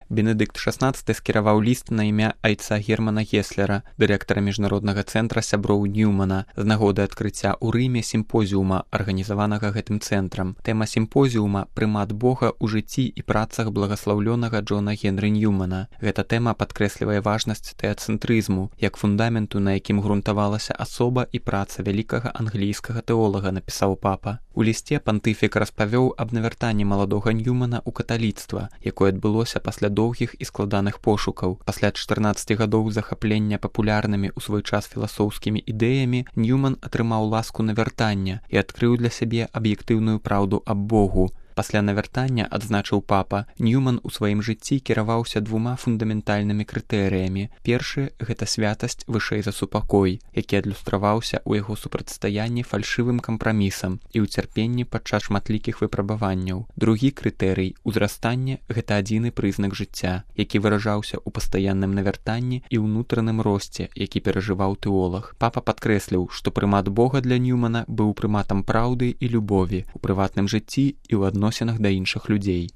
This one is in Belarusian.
Бенедыкт XVI скіраваў ліст на імя айца Германа Геслера, дырэктара міжнароднага цэнтра сяброў Ньюмана, з нагоды адкрыцця ў Рыме сімпозіума, арганізаванага гэтым цэнтрам. Тэма сімпозіума «Прымат Бога ў жыцці і працах благаслаўлёнага Джона Генры Ньюмана». Гэта тэма падкрэслівае важнасць тэацэнтрызму, як фундаменту, на якім грунтавалася асоба і праца вялікага англійскага тэолага, напісаў папа. У лісце пантыфік распавёў аб навяртанні маладога Ньюмана ў каталіцтва, якое адбылося пасля доўгіх і складаных пошукаў. Пасля 14 гадоў захаплення папулярнымі ў свой час філасофскімі ідэямі, Ньюман атрымаў ласку навяртання і адкрыў для сябе аб'ектыўную праўду аб Богу. Пасля навяртання, адзначыў папа, Ньюман у сваім жыцці кіраваўся двума фундаментальнымі крытэрыямі. Першы – гэта святасць вышэй за супакой, які адлюстраваўся ў яго супрацьстаянні фальшывым кампрамісам і ў цярпенні падчас шматлікіх выпрабаванняў. Другі крытэрый – узрастанне – гэта адзіны прызнак жыцця, які выражаўся ў пастаянным навяртанні і ўнутраным росце, які перажываў тэолаг. Папа падкрэсліў, што прымат Бога для Ньюмана быў прыматам праўды і любові ў прыватным жыцці і ў адносінах да іншых людзей.